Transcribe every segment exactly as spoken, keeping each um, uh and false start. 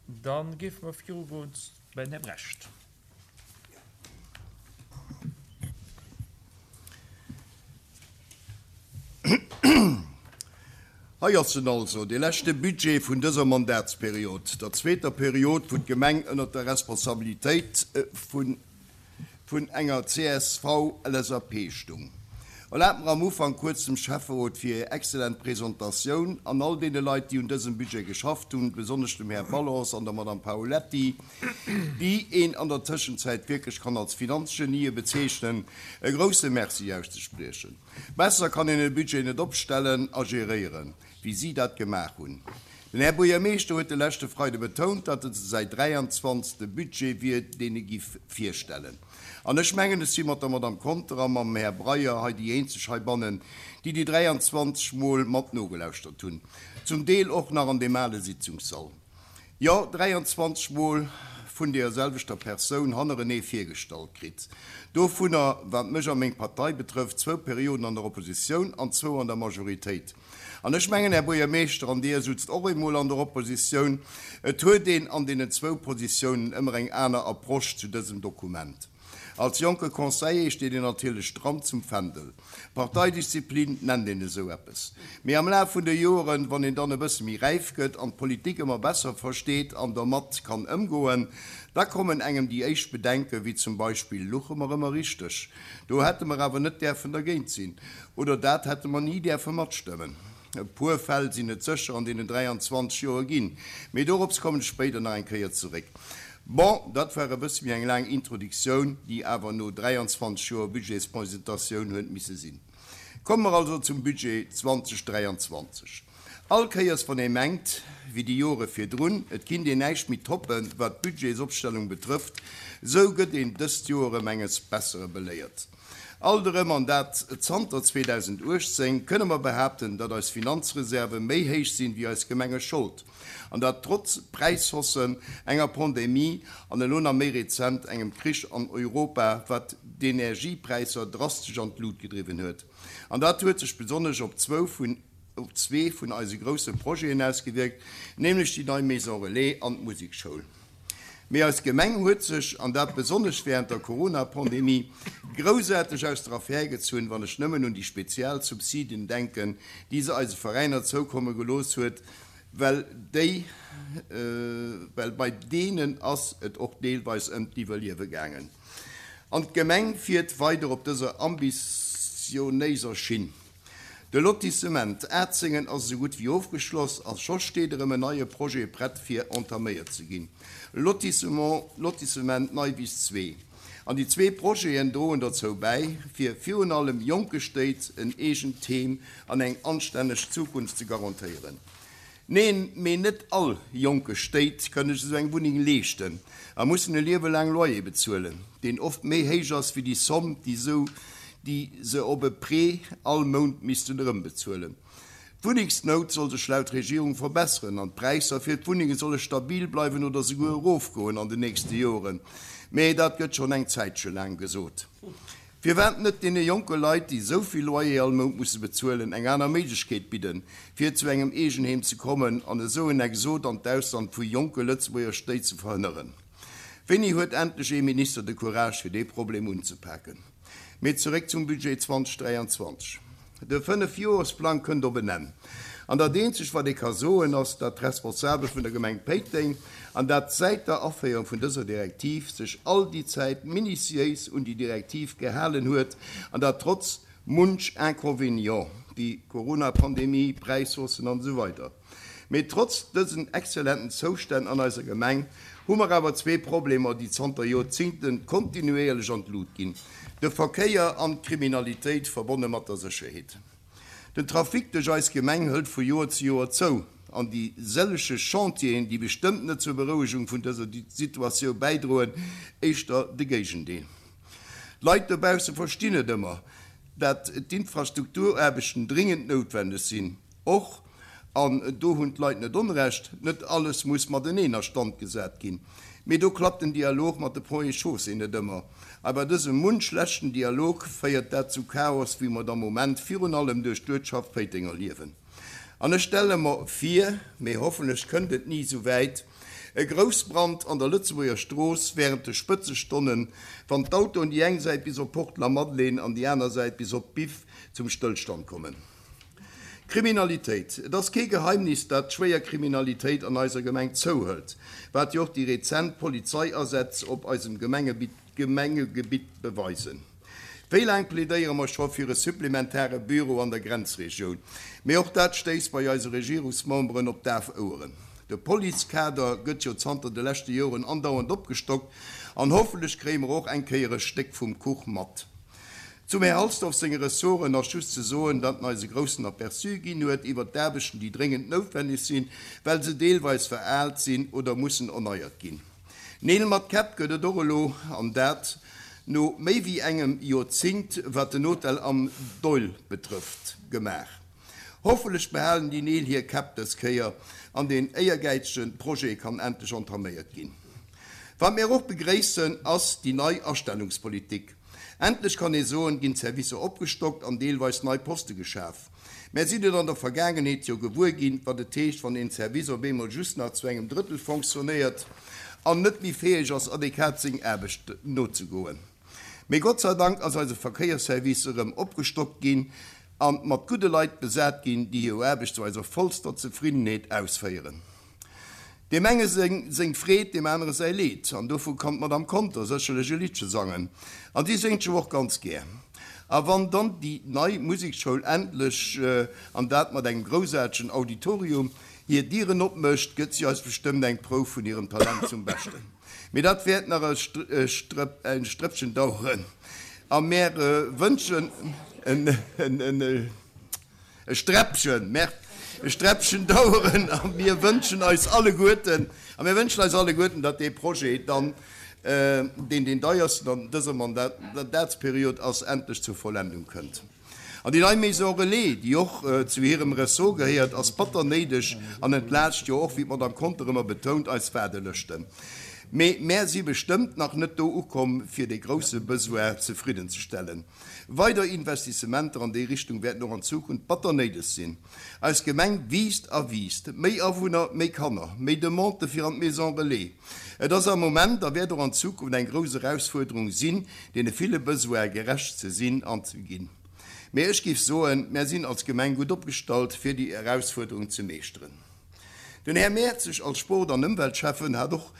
Da géife mer virugoen bei den Här Brecht. Hei ass en also, dee leschte Budget vun dëser Mandatsperiod, der zweeter Period, wou d'Gemeng ënnert der Responsabilitéit vun enger C S V L S A P stung. Erlaabt mer am Ufank kuerz dem Schäfferot fir hir exzellent Presentatioun an all deene Leit, déi un dësem Budget geschafft hunn, besonnesch dem Här Balance an der Madame Paoletti, déi een an der Tëschenzäit wierklech kann als Finanzgenië bezeechnen, e grousse Merci auszespriechen. Besser kann een e Budget net opstellen a geréieren, wéi si dat gemaach hunn. Den Här Buergermeeschter huet de leschte Freide betount, datt et säi dräianzwanzegste Budget wier, deen e giff virstellen. An ech mengen, ech si mat der Madame Conter a mam Här Breyer hei déi eenzeg heibannen, déi déi dräianzwanzeg Mol mat nogelauschtert hunn. Zum Deel och nach an deem ale Sitzungssall. Jo, dräianzwanzeg Mol vun deeër selwechter Persoun hannerenee virgestallt kritt. Dovunner, wat mech a meng Partei betrëfft, zwou Perioden an der Oppositioun an zwou an der Majoritéit. An ech mengen, Här Buergermeeschter, an Dir sutzt och emol an der Oppositioun, et huet een an deenen zwou Positiounen ëmmer eng aner Approche zu dësem Dokument. Als jonke Conseiller steet een natierlech stramm zum Fändel. Parteidisziplin nennt een esou eppes. Mee am Laf vun de Joren, wann een dann e bësse méi räif gëtt an d'Politik ëmmer besser versteet an dermat kann ëmgoen, da kommen engem déi éischt Bedenken, wéi zum Beispill, Luche mer ëmmer richteg? Do hätte mer awer net däerfen dergéint sinn. Oder dat hätte mer ni däerfe matstëmmen. E puer Fäll sinn et sécher an deenen dräianzwanzeg Joer ginn, mee dorops kommen ech spéider nach eng Kéier zeréck. Bon, dat war e bësse méi eng laang Introduktioun, déi awer no dräianzwanzeg Joer Budgetspresentatioun huet misse sinn. Komme mer also zum Budget zweedausend dräianzwanzeg. All Kéiers, wann ee mengt, wéi déi Jore virdrun, et kinnt een näischt méi toppen, wat d'Budgetsopstellung betrëfft, esou gëtt een dëst Joer erëm enges Bessere beléiert. Alt erëm, an dat zanter zweedausenduechtzéng, kënne mer behaapten, datt eis Finanzreserve méi héich sinn, wéi eis Gemengeschold. An dat trotz Präishaussen, enger Pandemie an elo nach méi rezent engem Krich an Europa, wat d'Energiepräisser drastesch an d'Lut gedriwwen huet. An dat huet sech besonnesch op zwou vun op zwee vun eise grousse Projeten ausgewierkt, nämlech déi nei Maison Relais an d'Musekschoul. Mee eis Gemeng huet sech, an dat besonnesch wärend der Corona-Pandemie, groussaarteg aus der Affär gezunn, wann ech nëmmen un déi spezial Subsiden denken, déi se eise Veräiner zoukomme gelooss huet, well déi, well bei deenen ass et och deelweis ëm d'Iwwerliewe gaangen. An d'Gemeng fiert weider op dëser ambitionéiser Schinn. De Lotissement Atzengen ass esou gutt wéi ofgeschloss a scho steet erëm en neie Projet prett fir entaméiert ze ginn, Lotissement Lotissement Neiwiss zwee. An déi zwee Projeten droen dozou bäi, fir virun allem jonke Stéit en eegent Heem an eng anstänneg Zukunft ze garantéieren. Neen, mee net all jonke Stéit kënne sech esou eng Wunneng leeschten a mussen e Liewe laang Loyer bezuelen, deen oft méi héich ass wéi déi Somm, déi sou déi se op e Prêt all Mount missten erëmbezuelen. D'Wunnengsnout soll sech laut Regierung verbesseren an d'Präisser fir d'Wunnenge solle stabil bleiwen oder souguer erofgoen an den nächste Joren. Mee dat gëtt schonn eng Zäitche laang gesot. Firwat net deene jonke Leit, déi esou vill Loyer all Mount musse bezuelen, eng aner Méiglechkeet bidden, fir zu engem Eegenheem ze kommen an esou en Exod an d'Ausland vu jonke Lëtzebuerger Stéit ze verhënneren? Wéini huet endlech ee Minister de Courage, fir dee Problem unzepaken? Mee zeréck zum Budget zweedausend dräianzwanzeg. De Fënnefjoresplang kënnt op en Enn. An dat eenzegt, wat ee ka soen, ass, datt d'Responsabel vun der Gemeng Péiteng, an dat säit der Aféierung vun dëser Direktiv, sech all déi Zäit minutiéis un déi Direktiv gehalen huet, an dat trotz munch Inconvénient, wéi Corona-Pandemie, Präishaussen an esou weider. Mee trotz dësen exzellenten Zoustänn an eiser Gemeng hu mer awer zwee Problemer, déi zanter Joerzingten kontinuéierlech an d'Lut ginn, de Verkéier an d'Kriminalitéit, verbonne mat der Sécherheet. Den Trafic duerch eis Gemeng hëlt vu Joer zu Joer zou an déi sëllege Chantieren, déi bestëmmt net zur Berouegung vun dëser Situatioun bäidroen, éischter de Géigendeel. D'Leit dobausse verstinn net ëmmer, dat d'Infrastrukturaarbechten dringend noutwenneg sinn. Och, an do hunn d'Leit net Onrecht, net alles muss mateneen a Stand gesat ginn. Mee do klappt den Dialog mat de Ponts et Chaussées net ëmmer. A bei dësem munch schlechten Dialog féiert dat zu Chaos, wéi mer et am Moment virun allem duerch d'Uertschaft Péiteng erliewen. An ech stelle mer vir, mee hoffentlech kënnt et ni esou wäit, E Groussbrand an der Lëtzebuerger Strooss wärend de Spëtzestonnen, wann d'Autoen déi eng Säit bis op Porte Lamadelaine an déi aner Säit bis op d'Biff zum Stëllstand kommen. Kriminalitéit, Et ass kee Geheimnis, dat d'schwéier Kriminalitéit an eiser Gemeng zouhëlt, wat jo och déi rezent Polizeiasätz op eisem Gemengegebitt beweisen. Wéi laang plädéiere mer scho fir e supplementare Büro an der Grenzregioun? Mee och dat stéisst bei eise Regierungsmemberen op daf Oueren. De Policekader gëtt jo zanter de leschte Joren andauernd opgestockt an hoffentlech kréie mer och eng Kéier e Stéck vum Kuch mat. Zum Här Halsdorf senge Ressorten ass just ze soen, datt en eis e groussen Aperçu ginn huet iwwert d'Aarbechten, déi dréngend noutwenneg sinn, well se deelweis veraalt sinn oder mussen erneiert ginn. Neel mat Käpp gëtt et och elo, an dat no méi wéi engem Joerzéngt, wat den Hotel am Doihl betrëfft, gemaach. Hoffentlech behalen déi Neel hir Käpp dës Kéier an deen éiergäizege Projet kann endlech entaméiert ginn. Wat mir och begréissen, ass déi nei Astellungspolitik. Endlech kann ee soen, ginn d'Servicer opgestockt an deelweis nei Poste geschaf. Mär sinn et an der Vergaangenheet jo gewuer ginn, wat et heescht, wann een Service op eemol just nach zu engem Drëttel fonctionnéiert an net méi fäeg ass, adequat seng Aarbecht nozegoen. Mee Gott sei Dank ass eise Verkéiersservice erëm opgestockt ginn a mat gudde Leit besat ginn, déi hir Aarbecht zu eiser vollster Zefriddenheet ausféieren. Deem enge seng Freed, deem anere säi Leed. An dovu kann d'Madame Conter sécherlech e Liddche sangen. An si séngt jo och ganz gär. A wann dann déi nei Musekschoul endlech, an dat mat engem groussaartegen Auditorium, hir Dieren opmécht, gëtt si eis bestëmmt eng Prouf vun hirem Talent zum Beschten. Mee dat wäert nach e Strëppchen daueren. A mär wënschen e Sträppchen, mer, e Sträppchen daueren a mir wënschen eis alleguerten, a mir wënschen eis alleguerten, datt dee Projet dann, deen deen deiersten an dëser Mandatsperiod ass, endlech zur Vollendung kënnt. An déi nei Maison relais, déi och zu hirem Ressort gehéiert, ass batter néideg an entlaascht jo och, wéi d'Madame Conter ëmmer betount, eis Waardelëschten. Mee mär si bestëmmt nach net do ukomm, fir dee grousse Besoin zefriddenzestellen. Weider Investissementer an déi Richtung wäerten och an Zukunft batter néideg sinn. Eis Gemeng wiisst a wiisst. Méi Awunner, méi Kanner, méi Demandë fir an d'Maison relais. Et ass am Moment a wäert och an Zukunft eng grouss Erausfuerderung sinn, deene ville Besoine gerecht ze sinn an ze ginn. Mee ech géif soen, mär sinn als Gemeng gutt opgestallt, fir déi Erausfuerderung ze meeschteren. Den Här Mertzig als Sport an Ëmweltschäffen hat och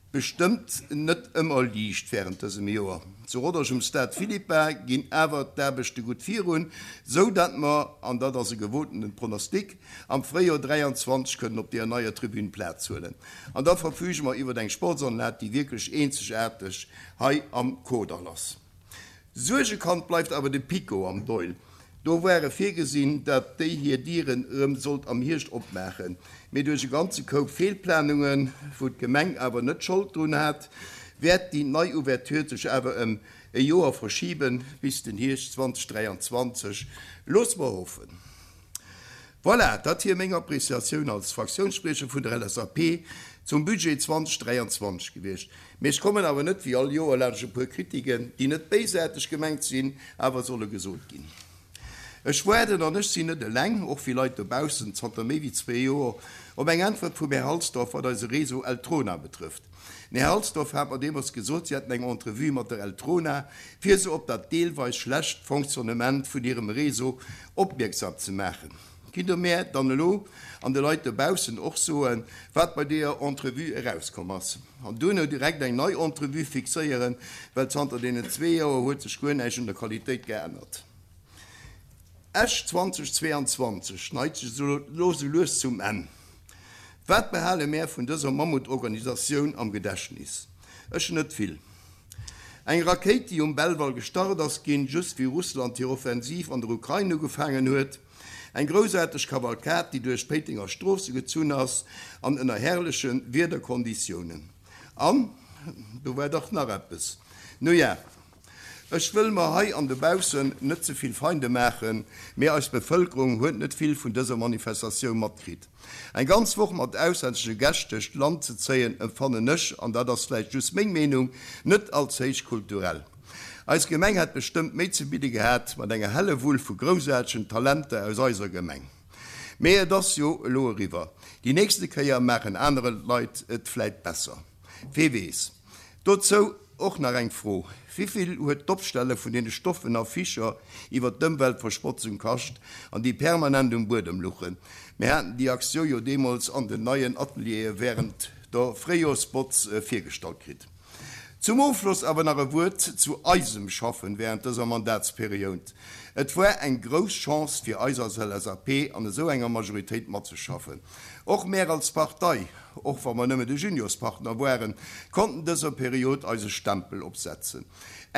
bestëmmt net ëmmer liicht wärend dësem Joer. Zu Rodange um Stade Philippa ginn awer d'Aarbechte gutt virun, sou dat mer, an dat ass e gewotenen Pronostic, am Fréijoer dräianzwanzeg kënnen op deeër neier Tribün Plaz huelen. An da verfüge mer iwwert eng Sportsanlag, déi wierklech eenzegaarteg hei am Kordall ass. Suergekand bleift awer de PiKo am Doihl. Do ware virgesinn, datt déi hir Dieren erëm sollt am Hierscht opmaachen, mee duerch e ganze Koup Feelplanungen, wou d'Gemeng awer net Schold drun hat, wäert déi nei Ouverture sech awer ëm e Joer verschiben, bis den Hierscht zweitausenddräianzwanzeg Loosse mer hoffen. Voilà, dat wier meng Appréciatioun als Fraktiounsspriecher vun der L S A P zum Budget zweitausenddräianzwanzeg gewiescht. Mee ech kommen awer net wéi all Joer laanscht e puer Kritiken, déi net béisaarteg gemengt sinn, awer solle gesot ginn. Ech waarden, an ech sinn net eleng, och vill Leit dobaussen, zanter méi wéi zwee Joer op eng Äntwert vum Här Halsdorf, wat eise Réseau Eltrona betrëfft. Den Här Halsdorf hat mer deemools gesot, si hätten eng Entrevue mat der Eltrona, fir se op dat deelweis schlecht Fonctionnement vun hirem Réseau opmierksam ze maachen. Kinnt Der mär dann elo an de Leit dobaussen och soen, wat bei deeër Entrevue erauskomm ass? An duerno direkt eng nei Entrevue fixéieren, well zanter deenen zwee Joer huet sech guer näischt un der Qualitéit geännert. Esch zweitausendzweiundzwanzeg neigt sech elo sou lues zum Enn. Wat behale mär vun dëser Mammutorganisatioun am Gedächtnis? Ech net vill. Eng Rakéit, déi um Belval gestart ass ginn, just wéi Russland hir Offensiv an der Ukrain ugefaangen huet. Eng groussaarteg Kavalkad, déi duerch d'Péitenger Stroosse gezunn ass an ënner herrleche Wiederkonditiounen. An do war dach nach eppes. Nu ja, ech wëll mer hei an dobaussen net ze vill Feinde maachen, mee eis Bevëlkerung huet net vill vun dëser Manifestatioun matkritt. Eng ganz Woch mat auslännesche Gäscht duerch d'Land ze zéien, empfannen ech, an dat ass vläicht just meng Meenung, net als héich kulturell. Eis Gemeng hätt bestëmmt méi ze bidde gehat mat enger Hellewull vu groussaartegen Talenter aus eiser Gemeng. Mee et ass jo elo eriwwer. Déi nächste Kéier maachen aner Leit et vläit besser. Wee weess. Dozou och nach eng Fro, Wivill huet d'Opstelle vun deene stoffen Afficher iwwer d'Ëmweltverschmotzung kascht an déi permanent um Buedem luchen? Mir haten déi Aktioun jo deemools an den neien Ateliere wärend der Fréijoersbotz virgestallt kritt. Zum Ofschloss awer nach e Wuert zu eisem Schaffen wärend dëser Mandatsperiod. Et war eng grouss Chance fir eis als L S A P an esou enger Majoritéit matzeschaffen. Och mär als Partei, och wa mer nëmme de Juniorspartner waren, konnten dëser Period eise Stempel opsetzen.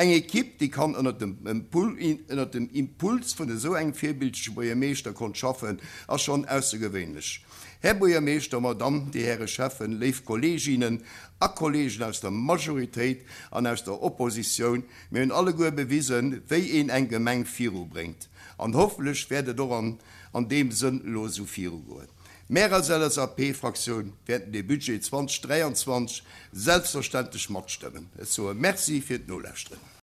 Eng Ekipp, déi kann ënner dem ënner dem Impuls vun esou engem virbildleche Buergermeeschter konnt schaffen, ass schonn aussergewéinlech. Här Buergermeeschter, Madamm, Dir Häre Schäffen, léif Kolleeginnen a Kolleegen aus der Majoritéit an aus der Oppositioun, mir hunn alleguer bewisen, wéi een eng Gemeng virubréngt. An hoffentlech wäert et och an an deem Sënn elo esou virugoen. Mär als L S A P-Fraktioun wäerten de Budget zweedausend dräianzwanzeg selbstverständlech matstëmmen. Ech soe Merci fir d'Nolauschteren.